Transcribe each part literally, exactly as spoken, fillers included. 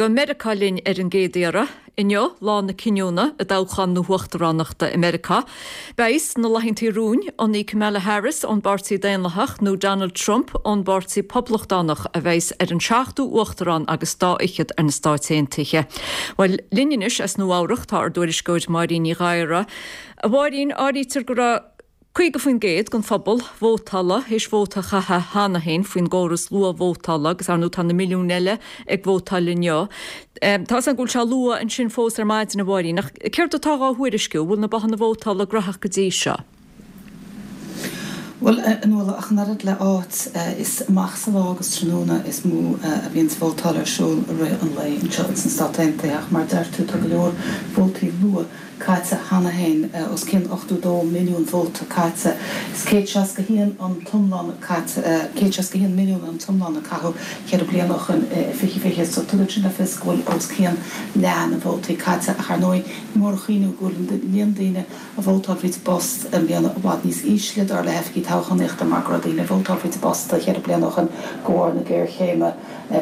Go Meiriceá linn ar an gcéad iarraidh. Inniu lá na cinniúna i dtoghchán na huachtaránachta i Meiriceá. Beidh sna laethanta romhainn an í Kamala Harris ón bPáirtí Daonlathach nó Donald Trump ón bPáirtí Poblachtánach a bheas ar an seachtú uachtarán agus dá fhichead ar na Stáit Aontaithe. Bhuel linn anois as Nua-Eabhrac tá ár dtuairisceoir Máirín Ní Ghadhra. A Mháirín áirítear go raibh Caoga faoin gcéad den phobal vótála théis vóta a chaitheamh cheana féin faoin gcóras luathvótála agus ar ndóigh tá na milliúin eile ag vótáil inniu. Tá an go bhfuil sé luath ansin fós ar maidin a Mháirín, ach céard atá á thuairisciú bhfuil na bothanna vótála gnóthach go dtí seo. Bhuel an ach an oiread le áit is amach sa lá agus tráthnóna is mó a bhíonn vótáil ar siúl i rith an lae anseo sna Stáit Aontaithe ach mar deir tú tá go leor vótaí luath caite cheana féin os cionn ochtó dó milliún vóta caite. Is céad seasca haon an t-iomlán caite céad seasca haon milliún an t-iomlán a caitheadh ceithre bliana ó shin i fiche fiche, so tugann sin le fios go bhfuil os cionn leath na vótaí caite ach ar ndóigh ní mór a chuimhniú go bhfuil an líon daoine a vótáil fríd an bpost i mbliana i bhfad níos ísle dar le hoifigigh toghchánaíochta mar go raibh daoine ag vótáil fríd an bpost ceithre bliana ó shin de bharr na géarchéime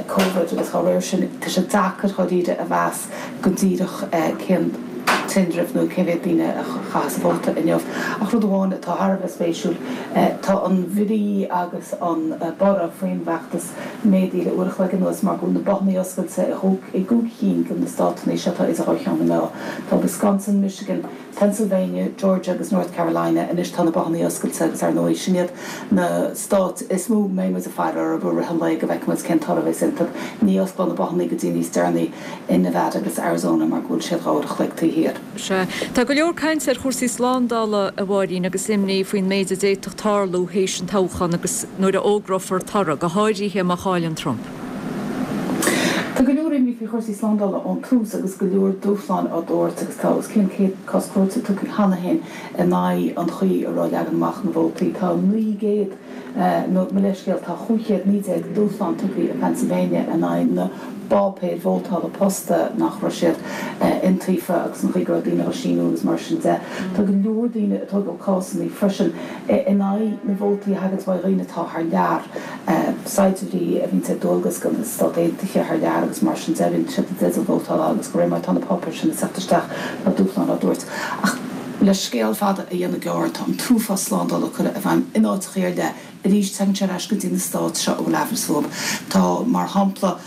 Covid agus dá réir sin tá sé deacair dháiríre a mheas go díreach cén tinreamh nó cé mhéad daoine a chaitheas vóta inniu. Ach rud amháin atá thar a bheith spéisiúil tá an bhrí agus an borradh faoin bhfeachtas méadaithe le uair a chloig anuas mar go bhfuil na bothanna oscailte i gcúig cinn de na státanna seo atá idir dhá cheann na meá. Tá Wisconsin, Michigan, Pennsylvania, Georgia agus North Carolina anois tá na bothanna oscailte agus ar ndóigh sin iad na stáit is mó mbeidh muid ag faire orthu i rith an lae go bhfeicfidh muid cén toradh a bheas iontu. Ní osclóidh na bothanna go dtí níos deireanaí in Nevada agus Arizona mar go bhfuil siad dhá uair a chloig taobh thiar. Sea. Tá go leor cainte ar chúrsaí slándála a Mháirín agus imní faoin méid a d'fhéadfadh tarlú théis an toghchán agus nuair a fhógrófar toradh, go háirithe má chailleann Trump. Tá go leor imní faoi chúrsaí slándála ón tús agus go leor dúshláin á dtabhairt agus tá os cionn céad cás cúirte tugtha cheana féin in aghaidh an chaoi a raibh leagan amach na vótaí. Tá naoi gcéad nó mo leithscéal tá chúig chéad naoi déag dúshlán tugtha i Pennsylvania in aghaidh na bpáipéir vótála posta nach raibh siad iontaofa agus an chaoi go raibh daoine á síniú agus mar sin de. Tá go leor daoine ag tógáil cásanna freisin in aghaidh na vótaí a thagann ó dhaoine atá thar lear saighdiúirí a bhíonn ar dualgas do na Stáit Aontaithe thar lear agus mar sin de bhíonn siad i dteideal vótála agus de réir mar atá na páipéir sin ag teacht isteach tá dúshlán á dtabhairt. Ach le scéal fada a dhéanamh gearr tá an t-uafás slándála curtha i bhfeidhm in áiteacha ar leith arís tagann sé ar ais go dtí na stáit seo a bhfuil aimhreas fúthu. Tá mar shampla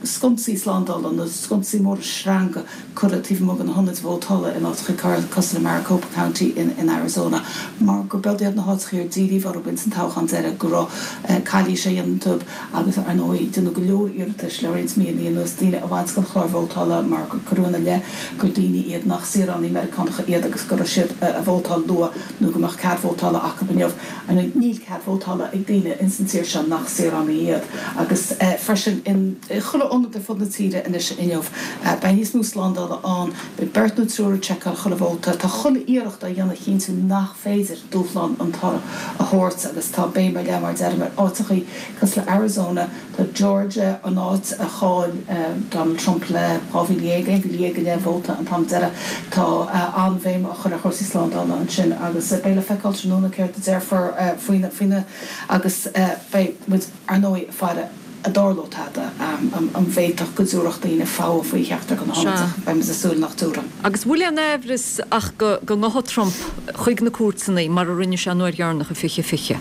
sconsaí slándála nó sconsaí móra sreanga curtha taobh amuigh de na hionaid vótála in áiteacha cosúil le Maricopa County in, in Arizona mar gur beag iad na háiteacha ar díríodh orthu ins an toghchán deiridh go raibh calaois á dhéanamh iontu agus ar ndóigh déanadh go leor iarratais le roinnt míonna anuas daoine a bhaint den chlár vótála mar gur cuireadh ina leith gur daoine iad nach saoránaigh Meiriceánacha iad agus go raibh siad a vótáil luath nó go mbeadh cead vótála acu inniu. Níl cead vótála ag daoine ins an tír seo nach saoránaigh iad agus freisin in chuile ionad ar fud na tíre anois inniu. Beidh níos mó slándála ann, beidh beirt nó triúr ag seiceáil chuile vóta, tá chuile iarracht á dhéanamh cinntiú nach féidir dúshlán an toradh a thabhairt agus tá béim ar leith mar deirim ar áiteachaí cosúil le Arizona, tá Georgia an áit a chaill Donald Trump le dhá mhíle dhéag, aon mhíle dhéag go leith vóta an t-am deiridh. Tá an-bhéim á chur ar chúrsaí slándála ansin agus beidh le feiceáil tráthnóna céard a déarfar faoina faoina agus beidh muid ar ndóigh ag faire an dtarlódh tada an bhféadfadh go dtabharfadh daoine fogha faoi cheachtar de na hionaid ach beidh muid ag súil nach dtabharfaidh. Agus bhfuil aon aimhreas ach go go ngabhfaidh Trump chuig na cúirteanna mar a rinne sé an uair dheireanach i fiche fiche?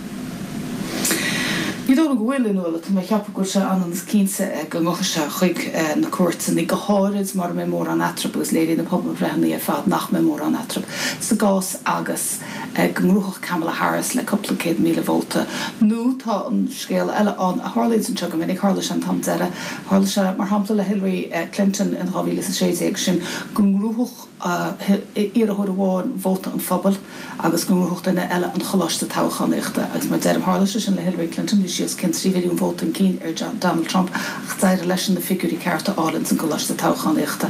Ní dóigh liom go bhfuil, a Nuala, tá mé ag ceapadh go bhfuil sé ionann is cinnte go ngabhfaidh sé chuig na cúirteanna, go háirid mura mbeidh mórán eatarthu agus léiríonn na pobalbhreitheanna ar fad nach mbeidh mórán eatarthu sa gcás agus go ngnóthódh Kamala Harris le cúpla céad míle vóta. Nó tá an scéal eile ann a tharlaíonn anseo go minic, tharla sé an t-am deiridh, tharla sé mar shampla le Hillary Clinton in dhá mhíle is a sé déag, sin go ngnóthódh iarrthóir amháin vóta an phobail agus go ngnóthódh duine eile an choláiste toghchánaíochta. Agus mar deirim, tharla sé sin le Hillary Clinton, bhí sí os cionn trí mhilliún vóta chun cinn ar Donald Trump ach d'éirigh leisean na figiúirí cearta a fháil ins an gcoláiste toghchánaíochta.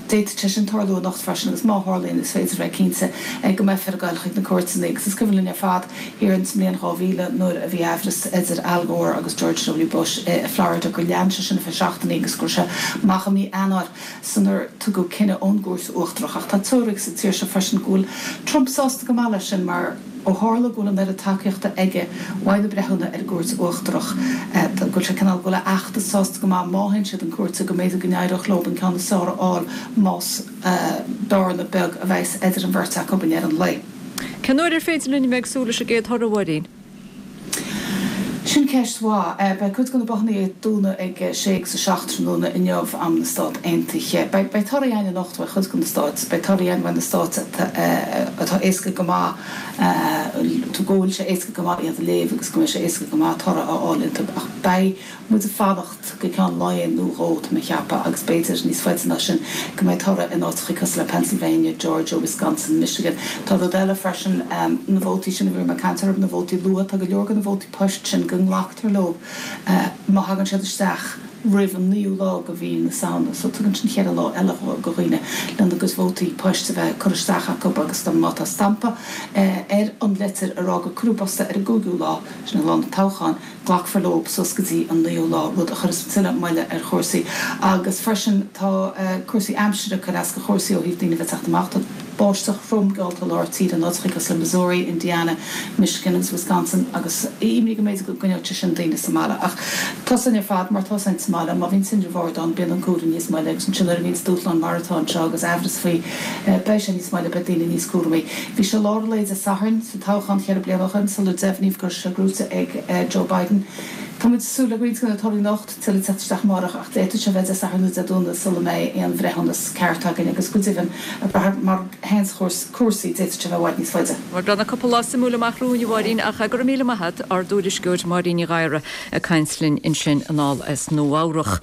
D'fhéadfadh sé sin tarlú anocht freisin agus má tharlaíonn is féidir a bheith cinnte go mbeifear ag goil chuig na cúirteanna agus is cuimhin linn ar fad thiar ins an mbliain dhá mhíle nuair a bhí aimhreas idir Al Gore agus George W Bush i Florida gur lean sé sin ar feadh seachtainí agus go raibh sé amach i mí Eanáir sular tugadh cinneadh ón gCúirt Uachtarach. Ach tá teoiric sa tír seo freisin go bhfuil Trump sásta go maith leis sin mar Ó tharla go bhfuil an oiread tacaíochta aige uaidh na breithiúna ar an gCúirt Uachtarach, go bhfuil sé cineál, go bhfuil a fheachtas sásta go maith má théann siad chun cúirte, go mb'fhéidir go n-éireodh leo an ceann is fearr a fháil más bearna beag a bheas idir an bheirt acu i ndeireadh an lae. Cén uair ar féidir linn a bheith ag súil leis an gcéad thoradh, a Mháirín? Sin ceist mhaith. Beidh cuid de na bothannaí ag dúnadh ag a sé agus a seacht tráthnóna inniu, am na Stát Aontaithe. Beidh beidh torthaí againn anocht uaidh chuid de na stáit. Beidh torthaí againn uaidh na stáit atá éasca go maith, go bhfuil sé éasca go maith iad a léamh agus go mbeidh sé éasca go maith toradh a fháil iontu. Ach beidh muid ag fanacht go ceann lae nó dhó, tá mé ag ceapadh, agus b'fhéidir níos faide ná sin, go mbeidh toradh in áiteachaí cosúil le Pennsylvania, Georgia, Wisconsin, Michigan. Tá rud eile freisin, na vótaí sin a bhí mé ag caint orthu, na vótaí luatha, tá go leor de na vótaí poist sin go nglactar leo má thagann siad isteach roimh an naoú lá de mhí na Samhna. So tugann sin cheithre lá eile do dhaoine lena gcuid vótaí poist a bheith curtha isteach acu agus má tá stampa ar an litir ag rá gur cuireadh i bpost é ar an gcúigiú lá, sin lá an toghcháin, glacfar leo suas go dtí an naoú lá, rud a chuirfeas tuilleadh moille ar chúrsaí. Agus freisin tá cúrsaí aimsire ag cur as do chúrsaí ó thaobh daoine a bheith ag teacht amach. Tá báisteach throm geallta i lár tíre in áiteacha cosúil le Missouri, Indiana, Michigan agus Wisconsin agus imní go mb'fhéidir go gcoinneodh sé sin daoine sa mbaile. Ach tá a fhios againn ar fad mar atá sa mbaile, má bhíonn tinreamh ard ann bíonn an cúram níos moille agus ansin nuair a bhíonns dúshláin mar atá anseo agus aimhreas faoi beidh sé níos moille, beidh daoine níos cúramaí. Bhí sé lár an lae Dé Sathairn sa toghchán cheithre bliana ó shin sular deimhníodh go raibh sé gnóthaithe ag Joe Biden. Tá muid ag súil le roinnt de na torthaí anocht, tuilleadh teacht isteach amárach ach d'fhéadfadh sé bheith Dé Sathairn nó Dé Domhnaigh sula mbeidh aon bhreithiúnas ceart againn agus go deimhin, ag brath mar a théanns cúrsaí, d'fhéadfadh sé bheith i bhfad níos faide. Bhuel, tá cúpla lá suimiúil amach romhainn, a Mháirín, ach go raibh míle maith agat, ár dtuairisceoir Máirín Ní Ghadhra ag caint linn ansin anall as Nua Eabhrac.